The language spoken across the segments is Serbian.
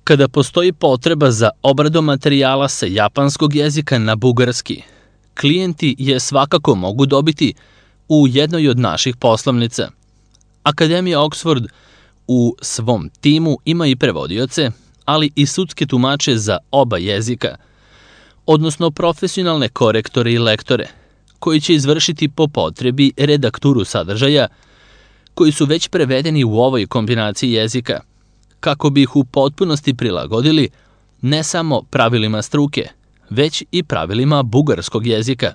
Kada postoji potreba za obradom materijala sa japanskog jezika na bugarski, klijenti je svakako mogu dobiti u jednoj od naših poslovnica. Akademija Oxford u svom timu ima i prevodioce, ali i sudske tumače za oba jezika, odnosno profesionalne korektore i lektore, koji će izvršiti po potrebi redakturu sadržaja, koji su već prevedeni u ovoj kombinaciji jezika, kako bi ih u potpunosti prilagodili ne samo pravilima struke, već i pravilima bugarskog jezika,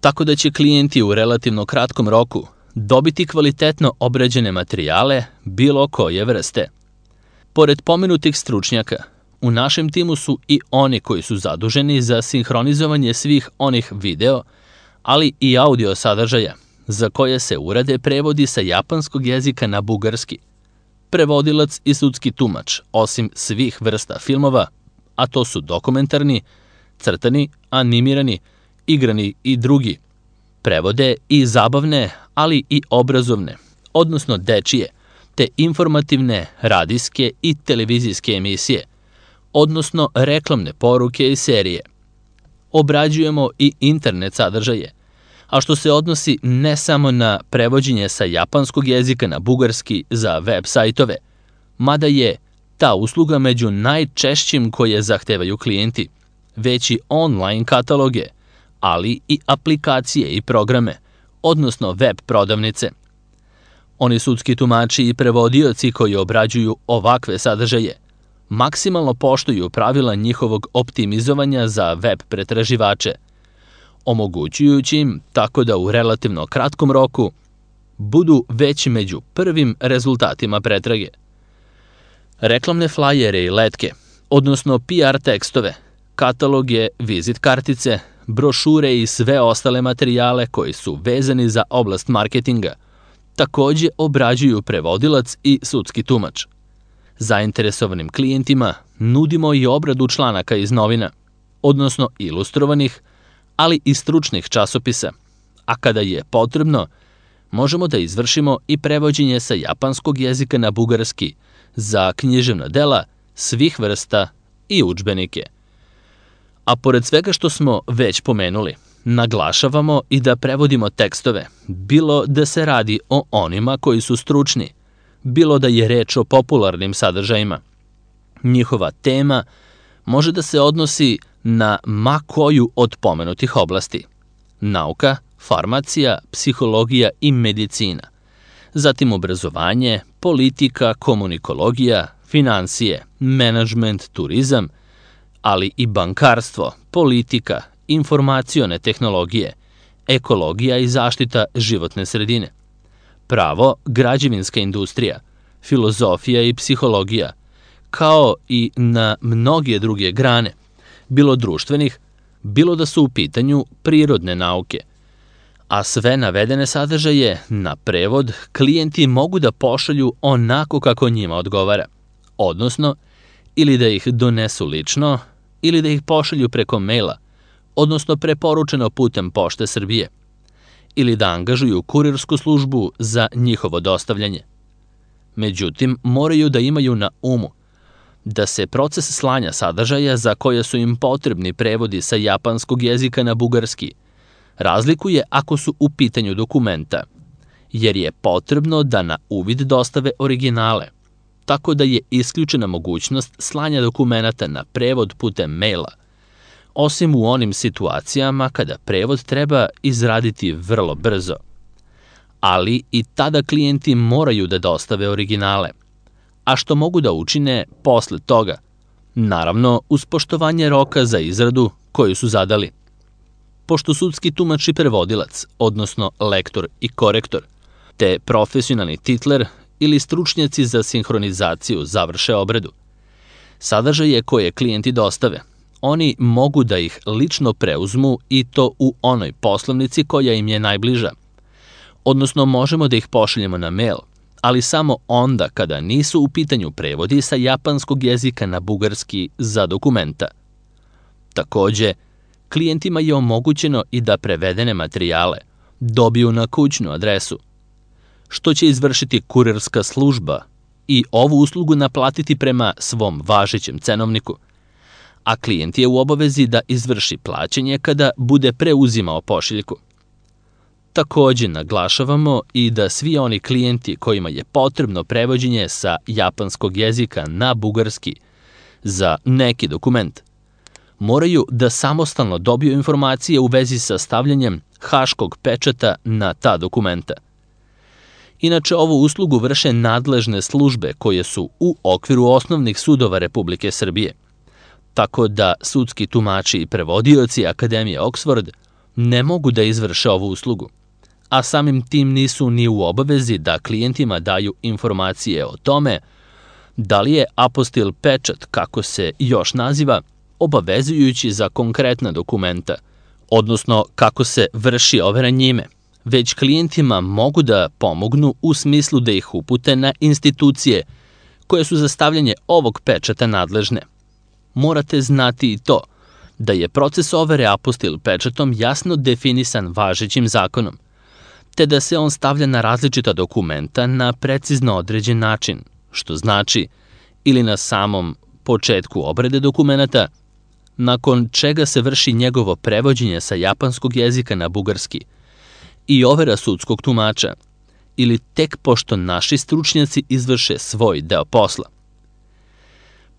tako da će klijenti u relativno kratkom roku dobiti kvalitetno obrađene materijale bilo koje vrste. Pored pomenutih stručnjaka, u našem timu su i oni koji su zaduženi za sinhronizovanje svih onih video, ali i audio sadržaja, za koje se urade prevodi sa japanskog jezika na bugarski. Prevodilac i sudski tumač, osim svih vrsta filmova, a to su dokumentarni, crtani, animirani, igrani i drugi, prevode i zabavne, ali i obrazovne, odnosno dečije, te informativne, radijske i televizijske emisije, odnosno reklamne poruke i serije. Obrađujemo i internet sadržaje, a što se odnosi ne samo na prevođenje sa japanskog jezika na bugarski za web sajtove, mada je ta usluga među najčešćim koje zahtevaju klijenti, već i online kataloge, ali i aplikacije i programe, odnosno web prodavnice. Oni sudski tumači i prevodioci koji obrađuju ovakve sadržaje maksimalno poštuju pravila njihovog optimizovanja za web pretraživače, omogućujući im tako da u relativno kratkom roku budu već među prvim rezultatima pretrage. Reklamne flajere i letke, odnosno PR tekstove, kataloge, vizit kartice, brošure i sve ostale materijale koji su vezani za oblast marketinga, takođe obrađuju prevodilac i sudski tumač. Zainteresovanim klijentima nudimo i obradu članaka iz novina, odnosno ilustrovanih, ali i stručnih časopisa, a kada je potrebno, možemo da izvršimo i prevođenje sa japanskog jezika na bugarski za književna dela svih vrsta i udžbenike. A pored svega što smo već pomenuli, naglašavamo i da prevodimo tekstove, bilo da se radi o onima koji su stručni, bilo da je reč o popularnim sadržajima. Njihova tema može da se odnosi na ma koju od pomenutih oblasti: nauka, farmacija, psihologija i medicina, zatim obrazovanje, politika, komunikologija, finansije, menadžment, turizam, ali i bankarstvo, politika, informacione tehnologije, ekologija i zaštita životne sredine, pravo, građevinska industrija, filozofija i psihologija, kao i na mnoge druge grane, bilo društvenih, bilo da su u pitanju prirodne nauke. A sve navedene sadržaje na prevod klijenti mogu da pošalju onako kako njima odgovara, odnosno ili da ih donesu lično, ili da ih pošalju preko maila, odnosno preporučeno putem Pošte Srbije, ili da angažuju kurirsku službu za njihovo dostavljanje. Međutim, moraju da imaju na umu da se proces slanja sadržaja za koje su im potrebni prevodi sa japanskog jezika na bugarski razlikuje ako su u pitanju dokumenta, jer je potrebno da na uvid dostave originale, tako da je isključena mogućnost slanja dokumenata na prevod putem maila, osim u onim situacijama kada prevod treba izraditi vrlo brzo. Ali i tada klijenti moraju da dostave originale, a što mogu da učine posle toga, naravno uz poštovanje roka za izradu koju su zadali. Pošto sudski tumač i prevodilac, odnosno lektor i korektor, te profesionalni titler ili stručnjaci za sinhronizaciju završe obradu, sadržaje koje klijenti dostave, oni mogu da ih lično preuzmu i to u onoj poslovnici koja im je najbliža, odnosno možemo da ih pošaljemo na mail, ali samo onda kada nisu u pitanju prevodi sa japanskog jezika na bugarski za dokumenta. Takođe, klijentima je omogućeno i da prevedene materijale dobiju na kućnu adresu, što će izvršiti kurirska služba i ovu uslugu naplatiti prema svom važećem cenovniku, a klijent je u obavezi da izvrši plaćanje kada bude preuzimao pošiljku. Takođe naglašavamo i da svi oni klijenti kojima je potrebno prevođenje sa japanskog jezika na bugarski za neki dokument moraju da samostalno dobiju informacije u vezi sa stavljanjem haškog pečata na ta dokumenta. Inače, ovu uslugu vrše nadležne službe koje su u okviru osnovnih sudova Republike Srbije, tako da sudski tumači i prevodioci Akademije Oxford ne mogu da izvrše ovu uslugu, a samim tim nisu ni u obavezi da klijentima daju informacije o tome da li je apostil pečat, kako se još naziva, obavezujući za konkretna dokumenta, odnosno kako se vrši overa njime, već klijentima mogu da pomognu u smislu da ih upute na institucije koje su za stavljanje ovog pečata nadležne. Morate znati i to da je proces overe apostil pečatom jasno definisan važećim zakonom, te da se on stavlja na različita dokumenta na precizno određen način, što znači ili na samom početku obrade dokumenta, nakon čega se vrši njegovo prevođenje sa japanskog jezika na bugarski i overa sudskog tumača, ili tek pošto naši stručnjaci izvrše svoj deo posla.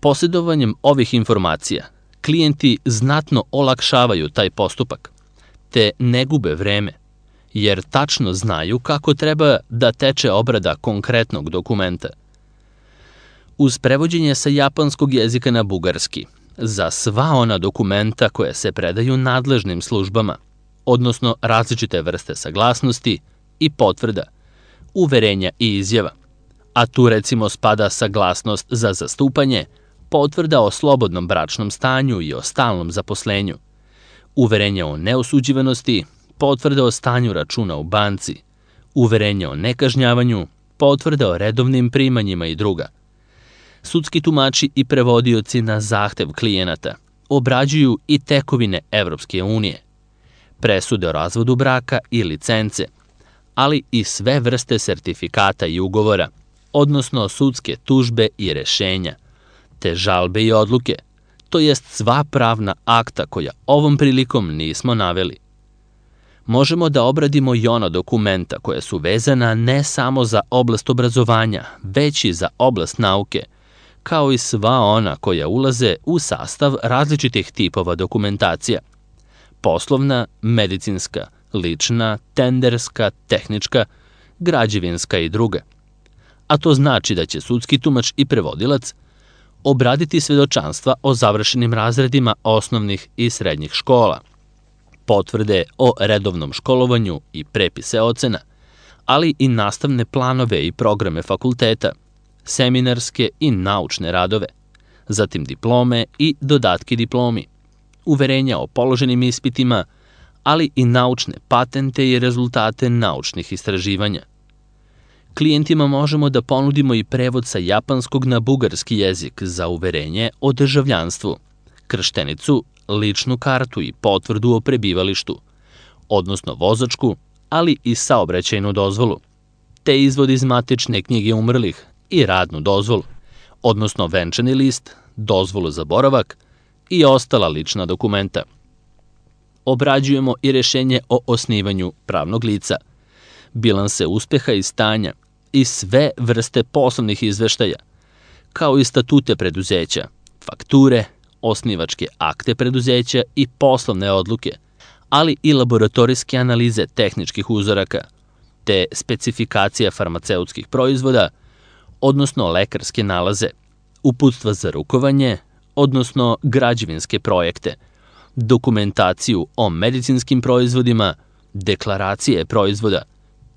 Posjedovanjem ovih informacija, klijenti znatno olakšavaju taj postupak, te ne gube vreme, jer tačno znaju kako treba da teče obrada konkretnog dokumenta. Uz prevođenje sa japanskog jezika na bugarski, za sva ona dokumenta koje se predaju nadležnim službama, odnosno različite vrste saglasnosti i potvrda, uverenja i izjava, a tu recimo spada saglasnost za zastupanje, potvrda o slobodnom bračnom stanju i o stalnom zaposlenju, uverenje o neosuđivanosti, potvrda o stanju računa u banci, uverenje o nekažnjavanju, potvrda o redovnim primanjima i druga. Sudski tumači i prevodioci na zahtev klijenata obrađuju i tekovine Evropske unije, presude o razvodu braka i licence, ali i sve vrste sertifikata i ugovora, odnosno sudske tužbe i rešenja, te žalbe i odluke, to jest sva pravna akta koja ovom prilikom nismo naveli. Možemo da obradimo i ona dokumenta koja su vezana ne samo za oblast obrazovanja, već i za oblast nauke, kao i sva ona koja ulaze u sastav različitih tipova dokumentacija: poslovna, medicinska, lična, tenderska, tehnička, građevinska i druga. A to znači da će sudski tumač i prevodilac obraditi svedočanstva o završenim razredima osnovnih i srednjih škola, potvrde o redovnom školovanju i prepise ocena, ali i nastavne planove i programe fakulteta, seminarske i naučne radove, zatim diplome i dodatke diplomi, uverenja o položenim ispitima, ali i naučne patente i rezultate naučnih istraživanja. Klijentima možemo da ponudimo i prevod sa japanskog na bugarski jezik za uverenje o državljanstvu, krštenicu, ličnu kartu i potvrdu o prebivalištu, odnosno vozačku, ali i saobraćajnu dozvolu, te izvod iz matične knjige umrlih i radnu dozvolu, odnosno venčani list, dozvolu za boravak i ostala lična dokumenta. Obrađujemo i rešenje o osnivanju pravnog lica, bilanse uspeha i stanja i sve vrste poslovnih izveštaja, kao i statute preduzeća, fakture, osnivačke akte preduzeća i poslovne odluke, ali i laboratorijske analize tehničkih uzoraka, te specifikacija farmaceutskih proizvoda, odnosno lekarske nalaze, uputstva za rukovanje, odnosno građevinske projekte, dokumentaciju o medicinskim proizvodima, deklaracije proizvoda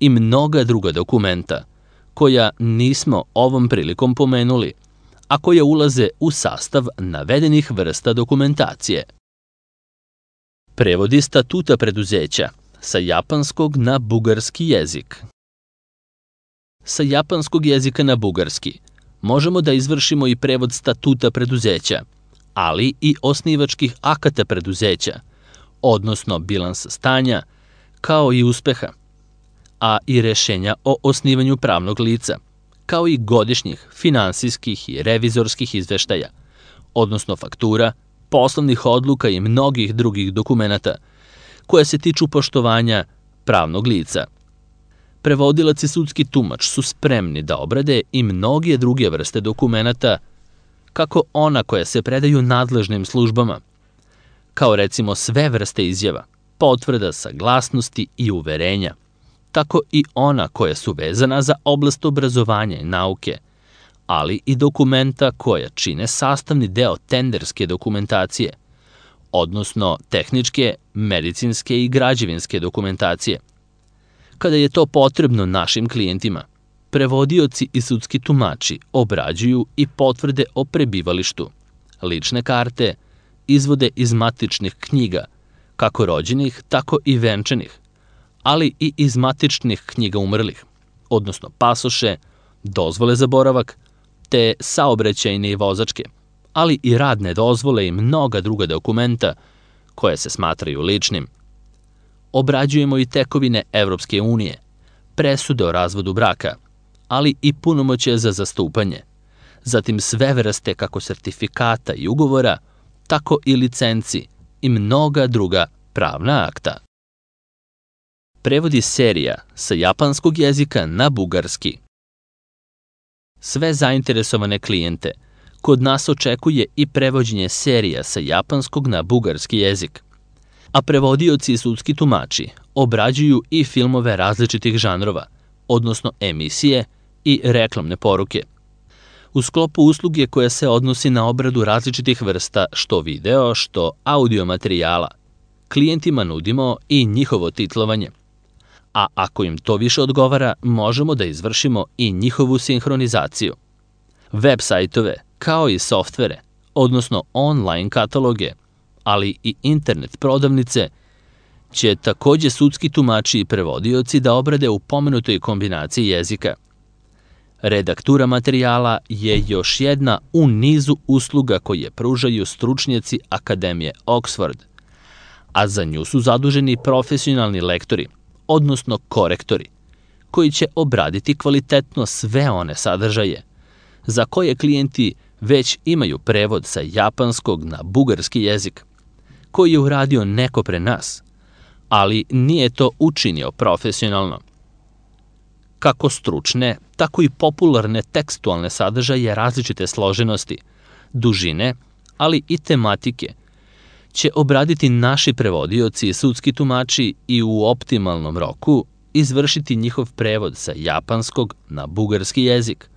i mnoga druga dokumenta, koja nismo ovom prilikom pomenuli, a koja ulaze u sastav navedenih vrsta dokumentacije. Prevodi statuta preduzeća sa japanskog na bugarski jezik. Sa japanskog jezika na bugarski možemo da izvršimo i prevod statuta preduzeća, ali i osnivačkih akata preduzeća, odnosno bilansa stanja, kao i uspeha, a i rešenja o osnivanju pravnog lica, kao i godišnjih finansijskih i revizorskih izveštaja, odnosno faktura, poslovnih odluka i mnogih drugih dokumenata koje se tiču poštovanja pravnog lica. Prevodilac i sudski tumač su spremni da obrade i mnoge druge vrste dokumenata, kako ona koja se predaju nadležnim službama, kao recimo sve vrste izjava, potvrda, saglasnosti i uverenja, tako i ona koja su vezana za oblast obrazovanja i nauke, ali i dokumenta koja čine sastavni deo tenderske dokumentacije, odnosno tehničke, medicinske i građevinske dokumentacije. Kada je to potrebno našim klijentima, prevodioci i sudski tumači obrađuju i potvrde o prebivalištu, lične karte, izvode iz matičnih knjiga, kako rođenih, tako i venčanih, ali i iz matičnih knjiga umrlih, odnosno pasoše, dozvole za boravak, te saobraćajne i vozačke, ali i radne dozvole i mnoga druga dokumenta koje se smatraju ličnim. Obrađujemo i tekovine Evropske unije, presude o razvodu braka, ali i punomoćje za zastupanje, zatim sve vrste kako sertifikata i ugovora, tako i licenci i mnoga druga pravna akta. Prevodi serija sa japanskog jezika na bugarski. Sve zainteresovane klijente kod nas očekuje i prevođenje serija sa japanskog na bugarski jezik, a prevodioci i sudski tumači obrađuju i filmove različitih žanrova, odnosno emisije i reklamne poruke. U sklopu usluge koja se odnosi na obradu različitih vrsta što video, što audio materijala, klijentima nudimo i njihovo titlovanje. A ako im to više odgovara, možemo da izvršimo i njihovu sinhronizaciju. Web sajtove, kao i softvere, odnosno online kataloge, ali i internet prodavnice, će takođe sudski tumači i prevodioci da obrade u pomenutoj kombinaciji jezika. Redaktura materijala je još jedna u nizu usluga koje pružaju stručnjaci Akademije Oxford, a za nju su zaduženi profesionalni lektori, odnosno korektori, koji će obraditi kvalitetno sve one sadržaje, za koje klijenti već imaju prevod sa japanskog na bugarski jezik, koji je uradio neko pre nas, ali nije to učinio profesionalno. Kako stručne, tako i popularne tekstualne sadržaje različite složenosti, dužine, ali i tematike, će obraditi naši prevodioci i sudski tumači i u optimalnom roku izvršiti njihov prevod sa japanskog na bugarski jezik.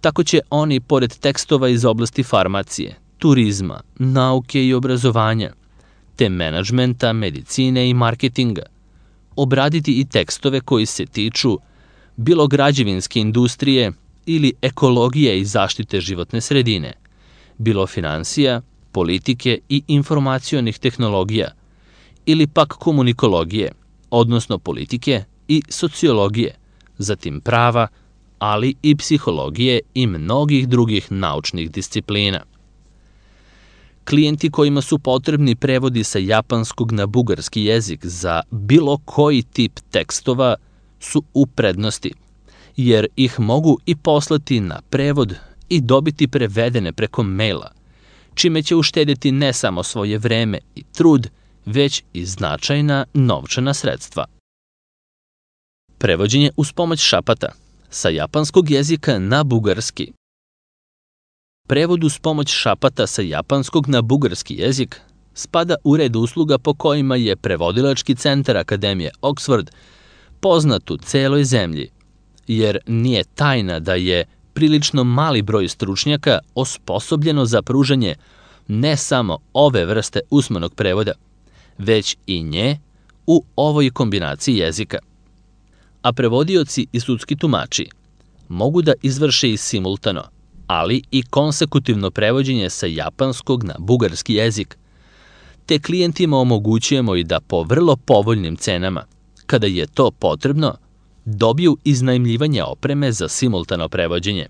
Tako će oni, pored tekstova iz oblasti farmacije, turizma, nauke i obrazovanja, te menadžmenta, medicine i marketinga, obraditi i tekstove koji se tiču bilo građevinske industrije ili ekologije i zaštite životne sredine, bilo finansija, politike i informacionih tehnologija, ili pak komunikologije, odnosno politike i sociologije, zatim prava, ali i psihologije i mnogih drugih naučnih disciplina. Klijenti kojima su potrebni prevodi sa japanskog na bugarski jezik za bilo koji tip tekstova su u prednosti, jer ih mogu i poslati na prevod i dobiti prevedene preko maila, čime će uštedjeti ne samo svoje vreme i trud, već i značajna novčana sredstva. Prevođenje uz pomoć šapata sa japanskog jezika na bugarski. Prevod uz pomoć šapata sa japanskog na bugarski jezik spada u red usluga po kojima je prevodilački centar Akademije Oxford poznat u celoj zemlji, jer nije tajna da je prilično mali broj stručnjaka osposobljeno za pružanje ne samo ove vrste usmenog prevoda, već i nje u ovoj kombinaciji jezika. A prevodioci i sudski tumači mogu da izvrše i simultano, ali i konsekutivno prevođenje sa japanskog na bugarski jezik, te klijentima omogućujemo i da po vrlo povoljnim cenama, kada je to potrebno, dobiju iznajmljivanje opreme za simultano prevođenje.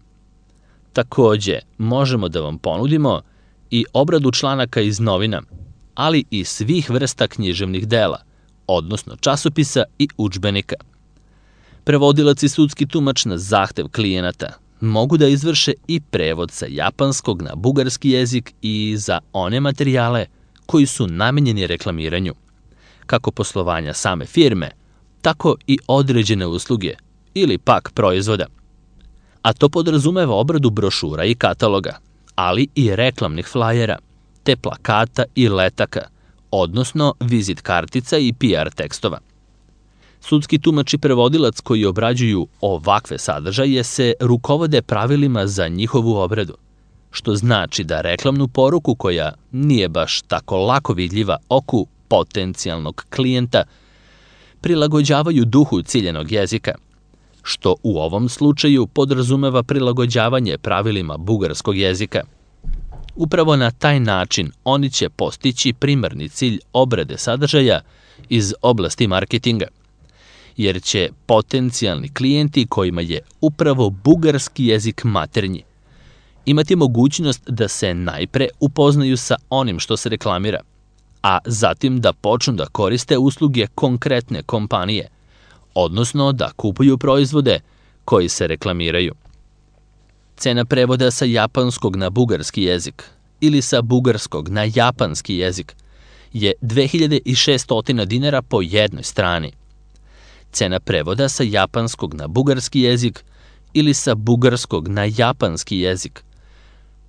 Takođe, možemo da vam ponudimo i obradu članaka iz novina, ali i svih vrsta književnih dela, odnosno časopisa i udžbenika. Prevodilac i sudski tumač na zahtev klijenata mogu da izvrše i prevod sa japanskog na bugarski jezik i za one materijale koji su namenjeni reklamiranju, kako poslovanja same firme, tako i određene usluge ili pak proizvoda. A to podrazumeva obradu brošura i kataloga, ali i reklamnih flajera, te plakata i letaka, odnosno vizit kartica i PR tekstova. Sudski tumač i prevodilac koji obrađuju ovakve sadržaje se rukovode pravilima za njihovu obradu, što znači da reklamnu poruku koja nije baš tako lako vidljiva oku potencijalnog klijenta prilagođavaju duhu ciljenog jezika, što u ovom slučaju podrazumeva prilagođavanje pravilima bugarskog jezika. Upravo na taj način oni će postići primarni cilj obrade sadržaja iz oblasti marketinga, jer će potencijalni klijenti kojima je upravo bugarski jezik maternji imati mogućnost da se najpre upoznaju sa onim što se reklamira, a zatim da počnu da koriste usluge konkretne kompanije, odnosno da kupuju proizvode koji se reklamiraju. Cena prevoda sa japanskog na bugarski jezik ili sa bugarskog na japanski jezik je 2600 dinara po jednoj strani. Cena prevoda sa japanskog na bugarski jezik ili sa bugarskog na japanski jezik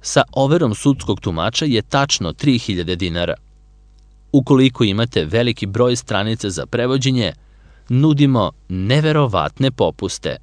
sa overom sudskog tumača je tačno 3000 dinara. Ukoliko imate veliki broj stranica za prevođenje, nudimo neverovatne popuste